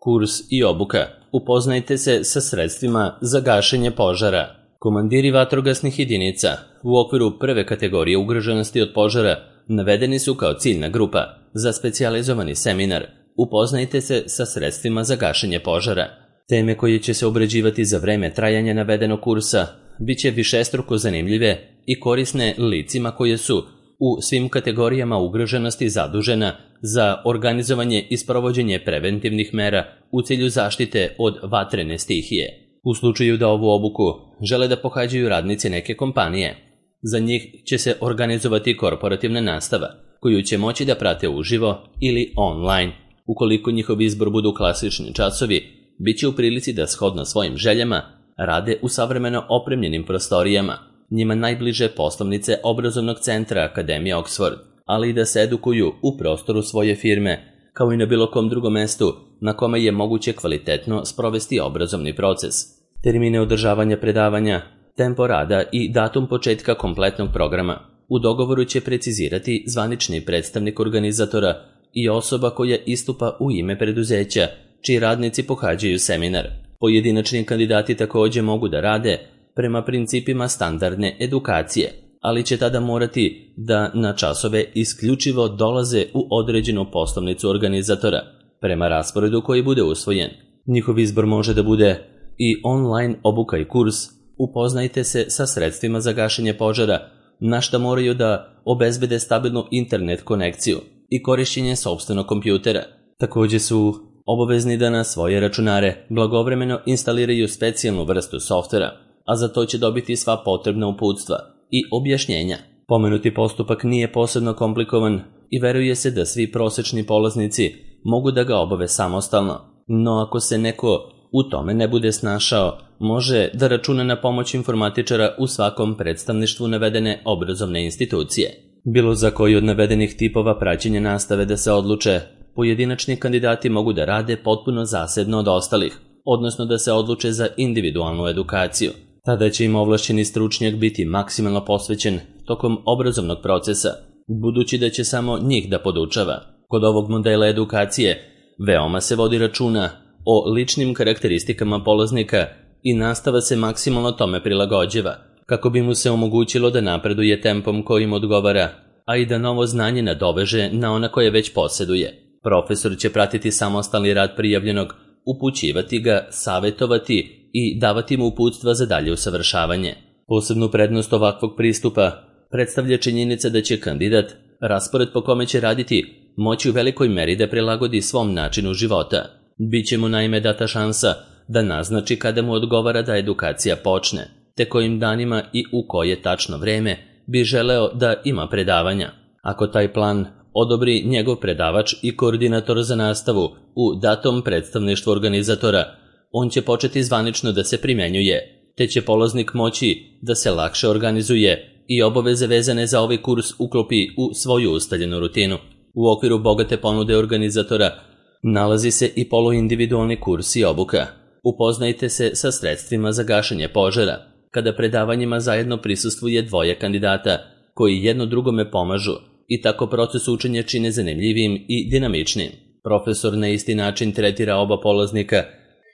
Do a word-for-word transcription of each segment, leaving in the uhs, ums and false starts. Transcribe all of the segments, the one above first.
Kurs i obuka. Upoznajte se sa sredstvima za gašenje požara. Komandiri vatrogasnih jedinica u okviru prve kategorije ugroženosti od požara navedeni su kao ciljna grupa za specijalizovani seminar. Upoznajte se sa sredstvima za gašenje požara. Teme koje će se obrađivati za vreme trajanja navedenog kursa biće višestruko zanimljive i korisne licima koje su u svim kategorijama ugroženosti zadužena za organizovanje i sprovođenje preventivnih mera u cilju zaštite od vatrene stihije. U slučaju da ovu obuku žele da pohađaju radnici neke kompanije, za njih će se organizovati korporativna nastava, koju će moći da prate uživo ili online. Ukoliko njihov izbor budu klasični časovi, bit će u prilici da shodno svojim željama rade u savremeno opremljenim prostorijama, njima najbliže poslovnice obrazovnog centra Akademije Oxford, ali i da se edukuju u prostoru svoje firme, kao i na bilo kom drugom mestu na kome je moguće kvalitetno sprovesti obrazovni proces. Termine održavanja predavanja, tempo rada i datum početka kompletnog programa u dogovoru će precizirati zvanični predstavnik organizatora i osoba koja istupa u ime preduzeća, čiji radnici pohađaju seminar. Pojedinačni kandidati također mogu da rade prema principima standardne edukacije, ali će tada morati da na časove isključivo dolaze u određenu poslovnicu organizatora, prema rasporedu koji bude usvojen. Njihov izbor može da bude i online obuka i kurs. Upoznajte se sa sredstvima za gašenje požara, na šta moraju da obezbede stabilnu internet konekciju i korišćenje sopstvenog kompjutera. Također su obavezni da na svoje računare blagovremeno instaliraju specijalnu vrstu softvera, a za to će dobiti sva potrebna uputstva i objašnjenja. Pomenuti postupak nije posebno komplikovan i veruje se da svi prosečni polaznici mogu da ga obave samostalno, no ako se neko u tome ne bude snašao, može da računa na pomoć informatičara u svakom predstavništvu navedene obrazovne institucije. Bilo za koji od navedenih tipova praćenja nastave da se odluče, pojedinačni kandidati mogu da rade potpuno zasebno od ostalih, odnosno da se odluče za individualnu edukaciju. Tada će im ovlašćeni stručnjak biti maksimalno posvećen tokom obrazovnog procesa, budući da će samo njih da podučava. Kod ovog modela edukacije veoma se vodi računa o ličnim karakteristikama polaznika i nastava se maksimalno tome prilagođava, kako bi mu se omogućilo da napreduje tempom kojim odgovara, a i da novo znanje nadoveže na ona koje već posjeduje. Profesor će pratiti samostalni rad prijavljenog, upućivati ga, savjetovati i davati mu uputstva za dalje usavršavanje. Posebnu prednost ovakvog pristupa predstavlja činjenica da će kandidat raspored po kome će raditi moći u velikoj meri da prilagodi svom načinu života. Biće mu naime data šansa da naznači kada mu odgovara da edukacija počne, te kojim danima i u koje tačno vreme bi želeo da ima predavanja. Ako taj plan odobri njegov predavač i koordinator za nastavu u datom predstavništvu organizatora, on će početi zvanično da se primjenjuje, te će polaznik moći da se lakše organizuje i obaveze vezane za ovaj kurs uklopi u svoju ustaljenu rutinu. U okviru bogate ponude organizatora nalazi se i poluindividualni kurs i obuka. Upoznajte se sa sredstvima za gašenje požara, kada predavanjima zajedno prisustvuje dvoje kandidata koji jedno drugome pomažu i tako proces učenja čine zanimljivijim i dinamičnim. Profesor na isti način tretira oba polaznika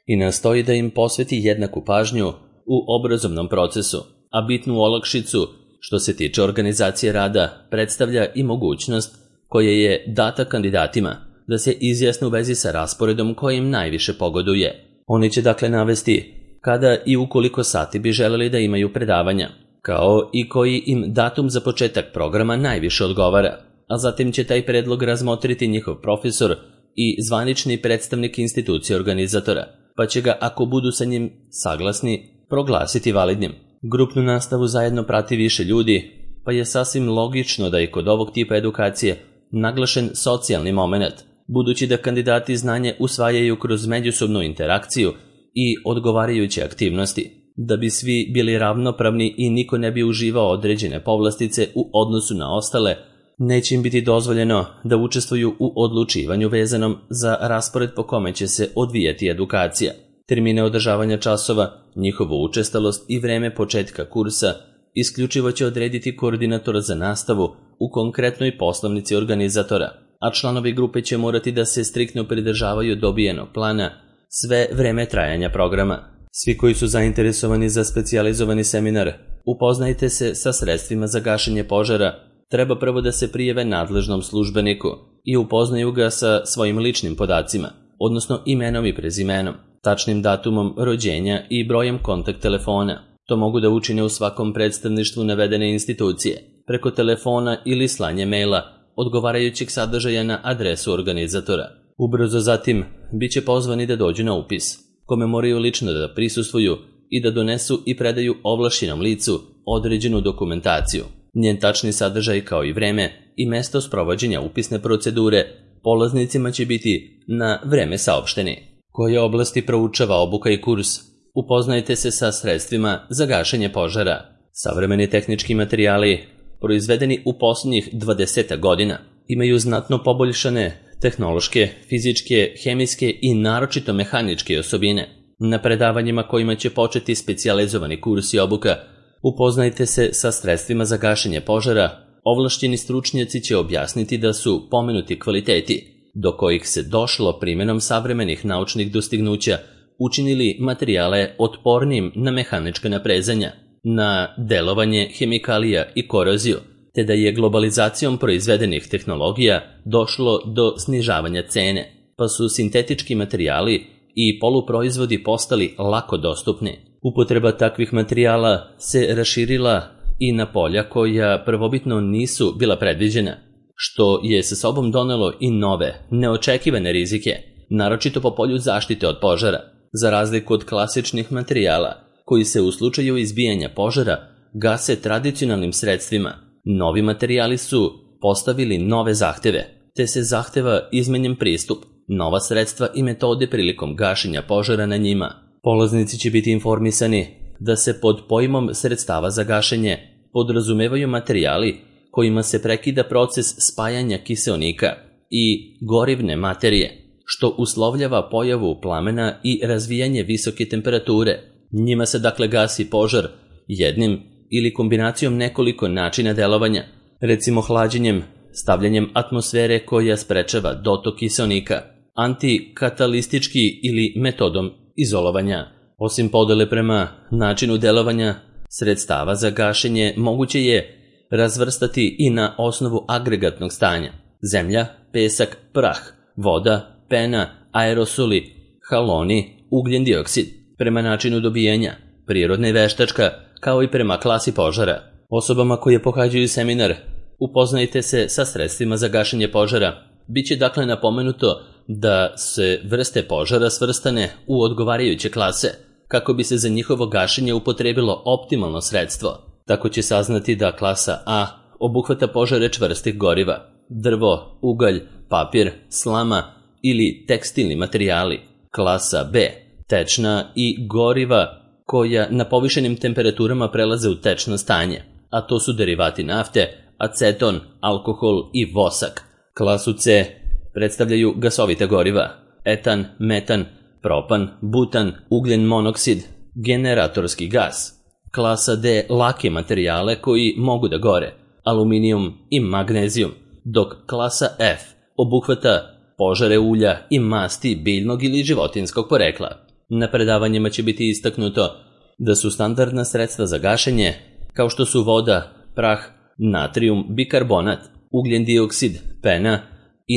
i nastoji da im posveti jednaku pažnju u obrazovnom procesu, a bitnu olakšicu što se tiče organizacije rada predstavlja i mogućnost koja je data kandidatima da se izjasne u vezi sa rasporedom koji im najviše pogoduje. Oni će dakle navesti kada i u koliko sati bi želeli da imaju predavanja, kao i koji im datum za početak programa najviše odgovara, a zatim će taj predlog razmotriti njihov profesor i zvanični predstavnik institucije organizatora, pa će ga, ako budu sa njim saglasni, proglasiti validnim. Grupnu nastavu zajedno prati više ljudi, pa je sasvim logično da i kod ovog tipa edukacije naglašen socijalni moment, budući da kandidati znanje usvajaju kroz međusobnu interakciju i odgovarajuće aktivnosti. Da bi svi bili ravnopravni i niko ne bi uživao određene povlastice u odnosu na ostale, neće im biti dozvoljeno da učestvuju u odlučivanju vezanom za raspored po kome će se odvijati edukacija. Termine održavanja časova, njihovu učestalost i vreme početka kursa isključivo će odrediti koordinator za nastavu u konkretnoj poslovnici organizatora. a članovi grupe će morati da se striktno pridržavaju dobijenog plana sve vreme trajanja programa. Svi koji su zainteresovani za specijalizovani seminar, upoznajte se sa sredstvima za gašenje požara, treba prvo da se prijave nadležnom službeniku i upoznaju ga sa svojim ličnim podacima, odnosno imenom i prezimenom, tačnim datumom rođenja i brojem kontakt telefona. To mogu da učine u svakom predstavništvu navedene institucije, preko telefona ili slanje maila odgovarajućeg sadržaja na adresu organizatora. Ubrzo zatim bit će pozvani da dođu na upis, kome moraju lično da prisustvuju i da donesu i predaju ovlašćenom licu određenu dokumentaciju. Njen tačni sadržaj kao i vreme i mesto sprovođenja upisne procedure polaznicima će biti na vreme saopšteni. Koje oblasti proučava obuka i kurs? Upoznajte se sa sredstvima za gašenje požara. Savremeni tehnički materijali, proizvedeni u posljednjih dvadeset godina, imaju znatno poboljšane tehnološke, fizičke, hemijske i naročito mehaničke osobine. Na predavanjima kojima će početi specijalizovani kurs i obuka, upoznajte se sa sredstvima za gašenje požara. Ovlašćeni stručnjaci će objasniti da su pomenuti kvaliteti, do kojih se došlo primjenom savremenih naučnih dostignuća, učinili materijale otpornim na mehanička naprezanja, na delovanje hemikalija i koroziju, te da je globalizacijom proizvedenih tehnologija došlo do snižavanja cene, pa su sintetički materijali i poluproizvodi postali lako dostupni. Upotreba takvih materijala se raširila i na polja koja prvobitno nisu bila predviđena, što je sa sobom donelo i nove, neočekivane rizike, naročito po polju zaštite od požara. Za razliku od klasičnih materijala, koji se u slučaju izbijanja požara gase tradicionalnim sredstvima, novi materijali su postavili nove zahteve, te se zahteva izmenjen pristup, nova sredstva i metode prilikom gašenja požara na njima. Polaznici će biti informisani da se pod pojmom sredstava za gašenje podrazumevaju materijali kojima se prekida proces spajanja kiseonika i gorivne materije, što uslovljava pojavu plamena i razvijanje visoke temperature. Njima se dakle gasi požar jednim ili kombinacijom nekoliko načina delovanja, recimo hlađenjem, stavljanjem atmosfere koja sprečava dotok kiseonika, antikatalistički ili metodom izolovanja. Osim podele prema načinu delovanja, sredstava za gašenje moguće je razvrstati i na osnovu agregatnog stanja: zemlja, pesak, prah, voda, pena, aerosoli, haloni, ugljen dioksid, prema načinu dobijanja, prirodna i veštačka, kao i prema klasi požara. Osobama koje pohađaju seminar, upoznajte se sa sredstvima za gašenje požara. Biće dakle napomenuto da se vrste požara svrstane u odgovarajuće klase, kako bi se za njihovo gašenje upotrebilo optimalno sredstvo. Tako će saznati da klasa A obuhvata požare čvrstih goriva, drvo, ugalj, papir, slama ili tekstilni materijali. Klasa B, tečna i goriva koja na povišenim temperaturama prelaze u tečno stanje, a to su derivati nafte, aceton, alkohol i vosak. Klasu C predstavljaju gasovita goriva: etan, metan, propan, butan, ugljen monoksid, generatorski gas. Klasa D lake materijale koji mogu da gore, aluminijum i magnezijum, dok klasa F obuhvata požare ulja i masti biljnog ili životinskog porekla. Na predavanjima će biti istaknuto da su standardna sredstva za gašenje, kao što su voda, prah, natrijum, bikarbonat, ugljen dioksid, pena,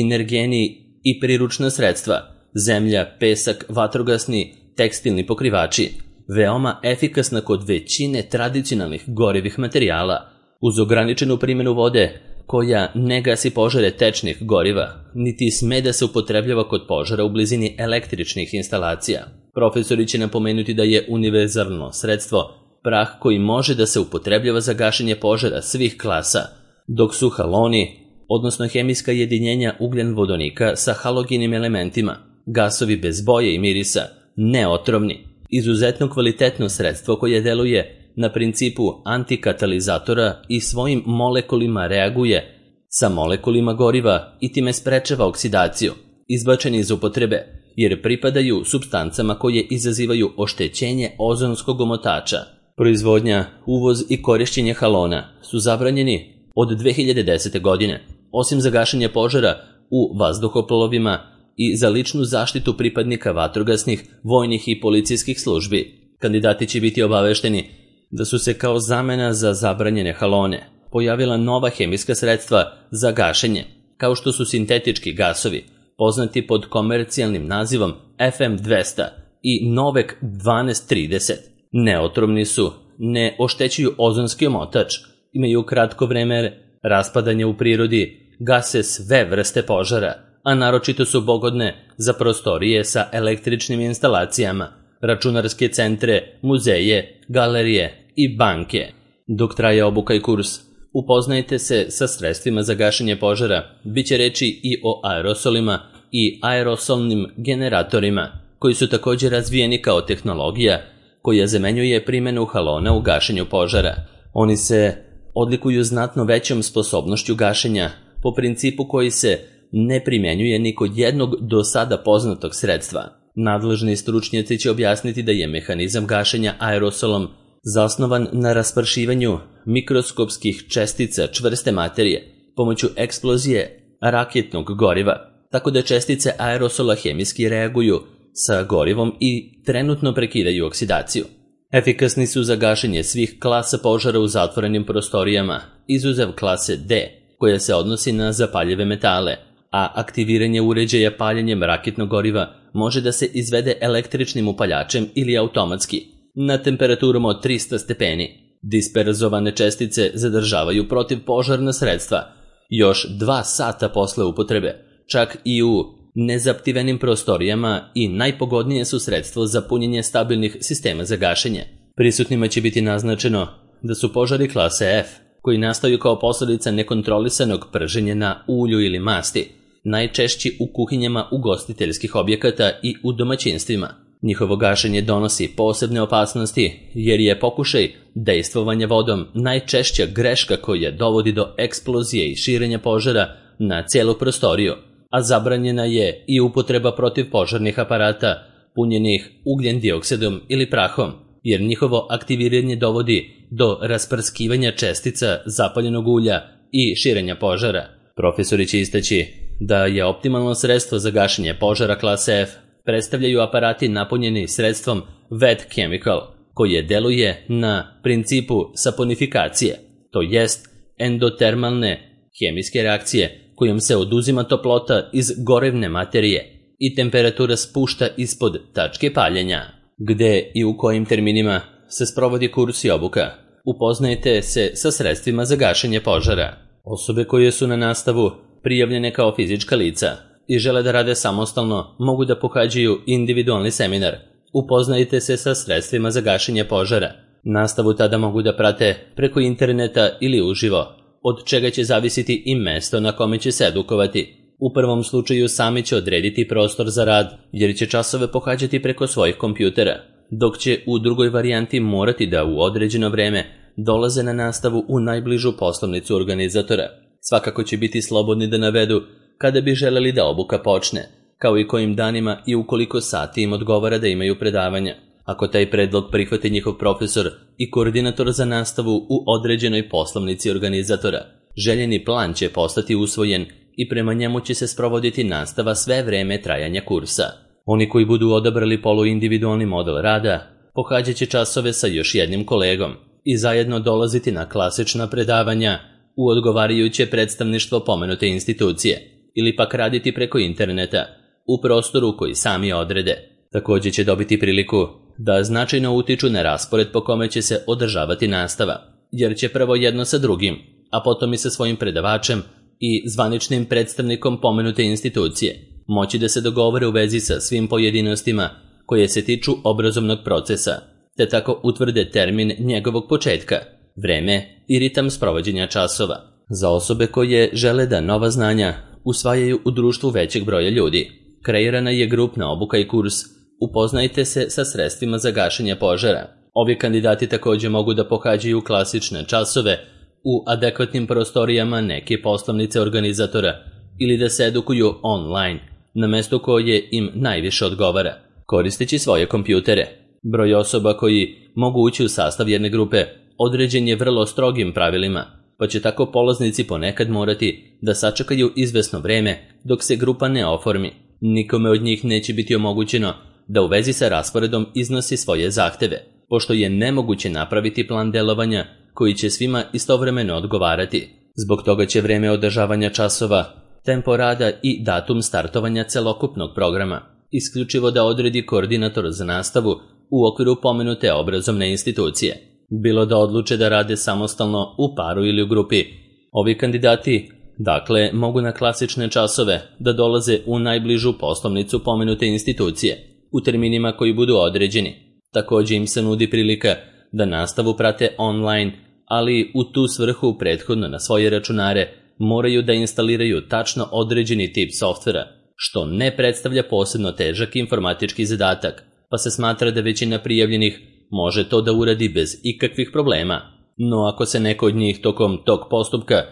energeni i priručna sredstva, zemlja, pesak, vatrogasni, tekstilni pokrivači, veoma efikasna kod većine tradicionalnih gorivih materijala, uz ograničenu primjenu vode koja ne gasi požare tečnih goriva, niti sme da se upotrebljava kod požara u blizini električnih instalacija. Profesori će napomenuti da je univerzalno sredstvo prah koji može da se upotrebljava za gašenje požara svih klasa, dok su haloni, odnosno hemijska jedinjenja ugljen vodonika sa halogenim elementima, gasovi bez boje i mirisa, neotrovni, izuzetno kvalitetno sredstvo koje deluje na principu antikatalizatora i svojim molekulima reaguje sa molekulima goriva i time sprečava oksidaciju, izbačeni iz upotrebe, jer pripadaju supstancama koje izazivaju oštećenje ozonskog omotača. Proizvodnja, uvoz i korišćenje halona su zabranjeni od dve hiljade desete. godine. Osim za gašenje požara, u vazduhoplovima i za ličnu zaštitu pripadnika vatrogasnih, vojnih i policijskih službi. Kandidati će biti obavešteni da su se kao zamena za zabranjene halone pojavila nova hemijska sredstva za gašenje, kao što su sintetički gasovi, poznati pod komercijalnim nazivom F M dvesta i Novek dvanaest trideset. Neotrovni su, ne oštećuju ozonski omotač, imaju kratko vreme raspadanja u prirodi, gase sve vrste požara, a naročito su pogodne za prostorije sa električnim instalacijama, računarske centre, muzeje, galerije i banke. Dok traje obuka i kurs, upoznajte se sa sredstvima za gašenje požara, bit će reči i o aerosolima i aerosolnim generatorima, koji su također razvijeni kao tehnologija koja zamenjuje primjenu halona u gašenju požara. Oni se odlikuju znatno većom sposobnošću gašenja po principu koji se ne primjenjuje ni kod jednog do sada poznatog sredstva. Nadležni stručnjaci će objasniti da je mehanizam gašenja aerosolom zasnovan na raspršivanju mikroskopskih čestica čvrste materije pomoću eksplozije raketnog goriva, tako da čestice aerosola hemijski reaguju sa gorivom i trenutno prekidaju oksidaciju. Efikasni su za gašenje svih klasa požara u zatvorenim prostorijama, izuzev klase D, koja se odnosi na zapaljive metale, a aktiviranje uređaja paljenjem raketnog goriva može da se izvede električnim upaljačem ili automatski, na temperaturom od trista stepeni. Disperzovane čestice zadržavaju protivpožarna sredstva još dva sata posle upotrebe, čak i u nezaptivenim prostorijama, i najpogodnije su sredstvo za punjenje stabilnih sistema za gašenje. Prisutnima će biti naznačeno da su požari klase F, koji nastaju kao posljedica nekontrolisanog prženja na ulju ili masti, najčešći u kuhinjama ugostiteljskih objekata i u domaćinstvima. Njihovo gašenje donosi posebne opasnosti jer je pokušaj dejstvovanja vodom najčešća greška koja dovodi do eksplozije i širenja požara na cijelu prostoriju, a zabranjena je i upotreba protivpožarnih aparata punjenih ugljen dioksidom ili prahom, jer njihovo aktiviranje dovodi do rasprskivanja čestica zapaljenog ulja i širenja požara. Profesori će istaći da je optimalno sredstvo za gašenje požara klase F predstavljaju aparati napunjeni sredstvom wet chemical, koje deluje na principu saponifikacije, to jest endotermalne hemijske reakcije kojom se oduzima toplota iz gorevne materije i temperatura spušta ispod tačke paljenja. Gde i u kojim terminima se sprovodi kurs i obuka? Upoznajte se sa sredstvima za gašenje požara. Osobe koje su na nastavu prijavljene kao fizička lica i žele da rade samostalno mogu da pohađaju individualni seminar. Upoznajte se sa sredstvima za gašenje požara. Nastavu tada mogu da prate preko interneta ili uživo, od čega će zavisiti i mesto na kome će se edukovati. U prvom slučaju sami će odrediti prostor za rad, jer će časove pohađati preko svojih kompjutera, dok će u drugoj varijanti morati da u određeno vreme dolaze na nastavu u najbližu poslovnicu organizatora. Svakako će biti slobodni da navedu kada bi želeli da obuka počne, kao i kojim danima i u koliko sati im odgovara da imaju predavanja. Ako taj predlog prihvati njihov profesor i koordinator za nastavu u određenoj poslovnici organizatora, željeni plan će postati usvojen i prema njemu će se sprovoditi nastava sve vreme trajanja kursa. Oni koji budu odabrali poluindividualni model rada, pohađat će časove sa još jednim kolegom i zajedno dolaziti na klasična predavanja u odgovarajuće predstavništvo pomenute institucije, ili pak raditi preko interneta u prostoru koji sami odrede. Također će dobiti priliku da značajno utiču na raspored po kome će se održavati nastava, jer će prvo jedno sa drugim, a potom i sa svojim predavačem i zvaničnim predstavnikom pomenute institucije moći da se dogovore u vezi sa svim pojedinostima koje se tiču obrazovnog procesa, te tako utvrde termin njegovog početka, vreme i ritam sprovođenja časova. Za osobe koje žele da nova znanja usvajaju u društvu većeg broja ljudi, kreirana je grupna obuka i kurs Upoznajte se sa sredstvima za gašenje požara. Ovi kandidati također mogu da pohađaju klasične časove u adekvatnim prostorijama neke poslovnice organizatora ili da se edukuju online, na mesto koje im najviše odgovara, koristeći svoje kompjutere. Broj osoba koji mogu ući u sastav jedne grupe određen je vrlo strogim pravilima, pa će tako polaznici ponekad morati da sačekaju izvesno vreme dok se grupa ne oformi. Nikome od njih neće biti omogućeno da u vezi sa rasporedom iznosi svoje zahteve, pošto je nemoguće napraviti plan delovanja koji će svima istovremeno odgovarati. Zbog toga će vreme održavanja časova, tempo rada i datum startovanja celokupnog programa isključivo da odredi koordinator za nastavu u okviru pomenute obrazovne institucije. Bilo da odluče da rade samostalno, u paru ili u grupi. Ovi kandidati, dakle, mogu na klasične časove da dolaze u najbližu poslovnicu pomenute institucije u terminima koji budu određeni. Također im se nudi prilika da nastavu prate online, ali u tu svrhu prethodno na svoje računare moraju da instaliraju tačno određeni tip softvera, što ne predstavlja posebno težak informatički zadatak, pa se smatra da većina prijavljenih može to da uradi bez ikakvih problema. No ako se neko od njih tokom tog postupka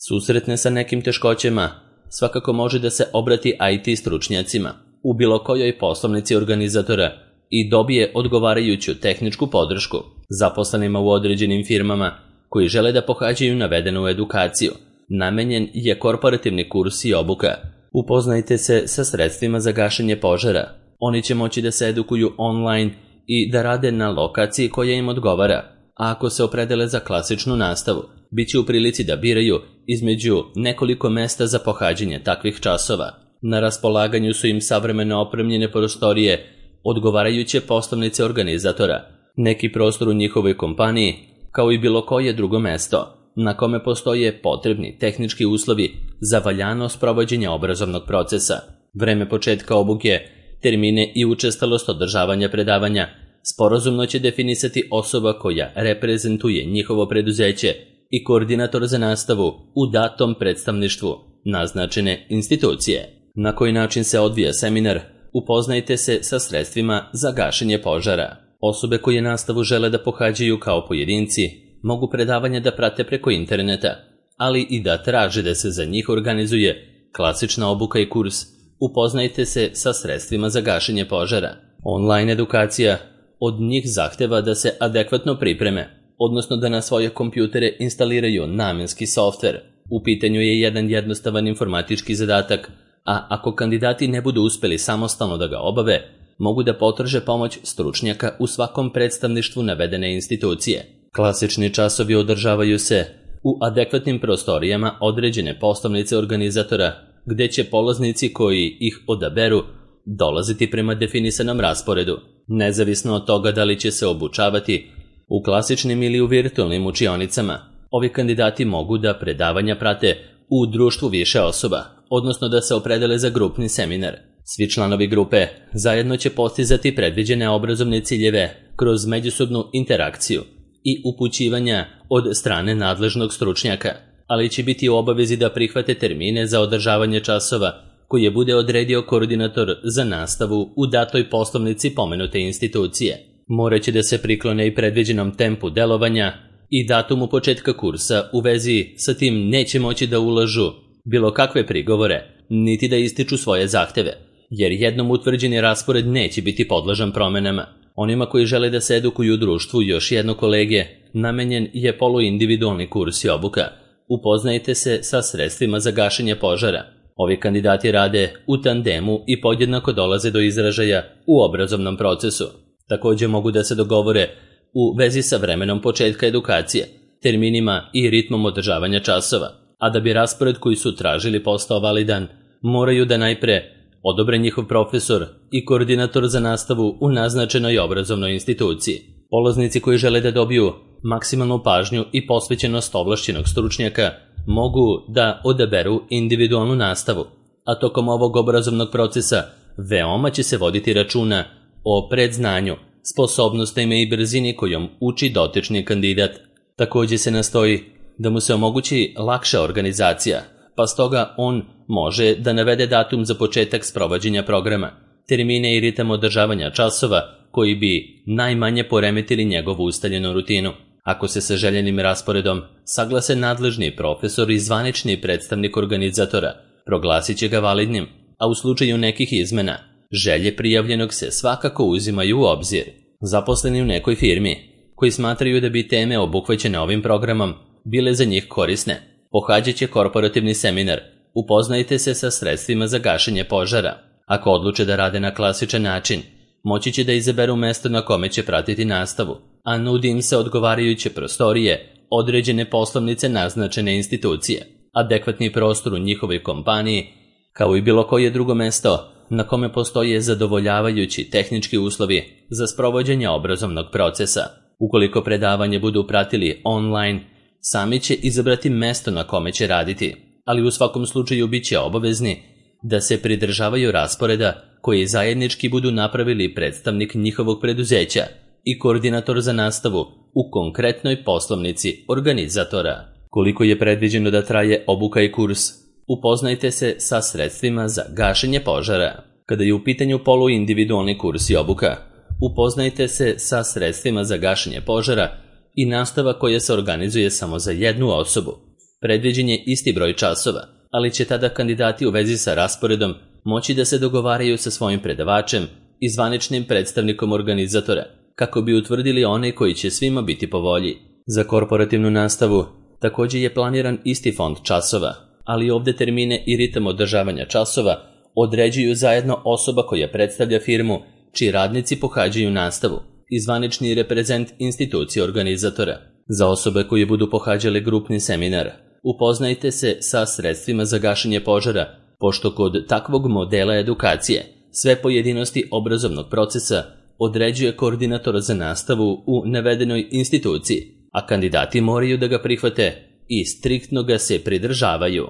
susretne sa nekim teškoćama, svakako može da se obrati I T stručnjacima u bilo kojoj poslovnici organizatora i dobije odgovarajuću tehničku podršku. Zaposlenima u određenim firmama koji žele da pohađaju navedenu edukaciju namenjen je korporativni kurs i obuka. Upoznajte se sa sredstvima za gašenje požara. Oni će moći da se edukuju online i da rade na lokaciji koja im odgovara, a ako se opredele za klasičnu nastavu, bit će u prilici da biraju između nekoliko mesta za pohađanje takvih časova. Na raspolaganju su im savremeno opremljene prostorije, odgovarajuće poslovnice organizatora, neki prostor u njihovoj kompaniji, kao i bilo koje drugo mesto na kome postoje potrebni tehnički uslovi za valjano sprovođenje obrazovnog procesa. Vreme početka obuke, termine i učestalost održavanja predavanja sporazumno će definisati osoba koja reprezentuje njihovo preduzeće i koordinator za nastavu u datom predstavništvu naznačene institucije. Na koji način se odvija seminar? Upoznajte se sa sredstvima za gašenje požara. Osobe koje nastavu žele da pohađaju kao pojedinci mogu predavanja da prate preko interneta, ali i da traže da se za njih organizuje klasična obuka i kurs. Upoznajte se sa sredstvima za gašenje požara. Online edukacija od njih zahteva da se adekvatno pripreme, odnosno da na svoje kompjutere instaliraju namenski softver. U pitanju je jedan jednostavan informatički zadatak, a ako kandidati ne budu uspeli samostalno da ga obave, mogu da potraže pomoć stručnjaka u svakom predstavništvu navedene institucije. Klasični časovi održavaju se u adekvatnim prostorijama određene poslovnice organizatora, gde će polaznici koji ih odaberu dolaziti prema definisanom rasporedu, nezavisno od toga da li će se obučavati u klasičnim ili u virtualnim učionicama. Ovi kandidati mogu da predavanja prate u društvu više osoba, odnosno da se opredele za grupni seminar. Svi članovi grupe zajedno će postizati predviđene obrazovne ciljeve kroz međusobnu interakciju i upućivanja od strane nadležnog stručnjaka, ali će biti u obavezi da prihvate termine za održavanje časova koje bude odredio koordinator za nastavu u datoj poslovnici pomenute institucije. Moraće da se priklone i predviđenom tempu delovanja i datumu početka kursa. U vezi sa tim neće moći da ulažu bilo kakve prigovore, niti da ističu svoje zahteve, jer jednom utvrđeni raspored neće biti podložan promenama. Onima koji žele da se edukuju u društvu još jedno kolege, namenjen je poluindividualni kurs i obuka. Upoznajte se sa sredstvima za gašenje požara. Ovi kandidati rade u tandemu i podjednako dolaze do izražaja u obrazovnom procesu. Također mogu da se dogovore u vezi sa vremenom početka edukacije, terminima i ritmom održavanja časova, a da bi raspored koji su tražili postao validan, moraju da najpre odobre njihov profesor i koordinator za nastavu u naznačenoj obrazovnoj instituciji. Polaznici koji žele da dobiju maksimalnu pažnju i posvećenost ovlašćenog stručnjaka mogu da odaberu individualnu nastavu, a tokom ovog obrazovnog procesa veoma će se voditi računa o predznanju, sposobnostima i brzini kojom uči dotični kandidat. Također se nastoji da mu se omogući lakša organizacija, pa stoga on može da navede datum za početak sprovođenja programa, termine i ritam održavanja časova koji bi najmanje poremetili njegovu ustaljenu rutinu. Ako se sa željenim rasporedom saglase nadležni profesor i zvanični predstavnik organizatora, proglasit će ga validnim, a u slučaju nekih izmena, želje prijavljenog se svakako uzimaju u obzir. Zaposleni u nekoj firmi, koji smatraju da bi teme obuhvaćene ovim programom bile za njih korisne. Pohađaće korporativni seminar. Upoznajte se sa sredstvima za gašenje požara. Ako odluče da rade na klasičan način, moći će da izaberu mesto na kome će pratiti nastavu, a nudi im se odgovarajuće prostorije, određene poslovnice naznačene institucije, adekvatni prostor u njihovoj kompaniji, kao i bilo koje drugo mesto na kome postoje zadovoljavajući tehnički uslovi za sprovođenje obrazovnog procesa. Ukoliko predavanje budu pratili online, sami će izabrati mesto na kome će raditi, ali u svakom slučaju bit će obavezni da se pridržavaju rasporeda koji zajednički budu napravili predstavnik njihovog preduzeća i koordinator za nastavu u konkretnoj poslovnici organizatora. Koliko je predviđeno da traje obuka i kurs? Upoznajte se sa sredstvima za gašenje požara. Kada je u pitanju poluindividualni kurs i obuka, upoznajte se sa sredstvima za gašenje požara i nastava koja se organizuje samo za jednu osobu. Predviđen je isti broj časova, ali će tada kandidati u vezi sa rasporedom moći da se dogovaraju sa svojim predavačem i zvaničnim predstavnikom organizatora, kako bi utvrdili one koji će svima biti po volji. Za korporativnu nastavu također je planiran isti fond časova, ali ovde termine i ritam održavanja časova određuju zajedno osoba koja predstavlja firmu čiji radnici pohađaju nastavu i zvanični reprezent institucije organizatora. Za osobe koje budu pohađale grupni seminar, upoznajte se sa sredstvima za gašenje požara, pošto kod takvog modela edukacije sve pojedinosti obrazovnog procesa određuje koordinator za nastavu u navedenoj instituciji, a kandidati moraju da ga prihvate i striktno ga se pridržavaju.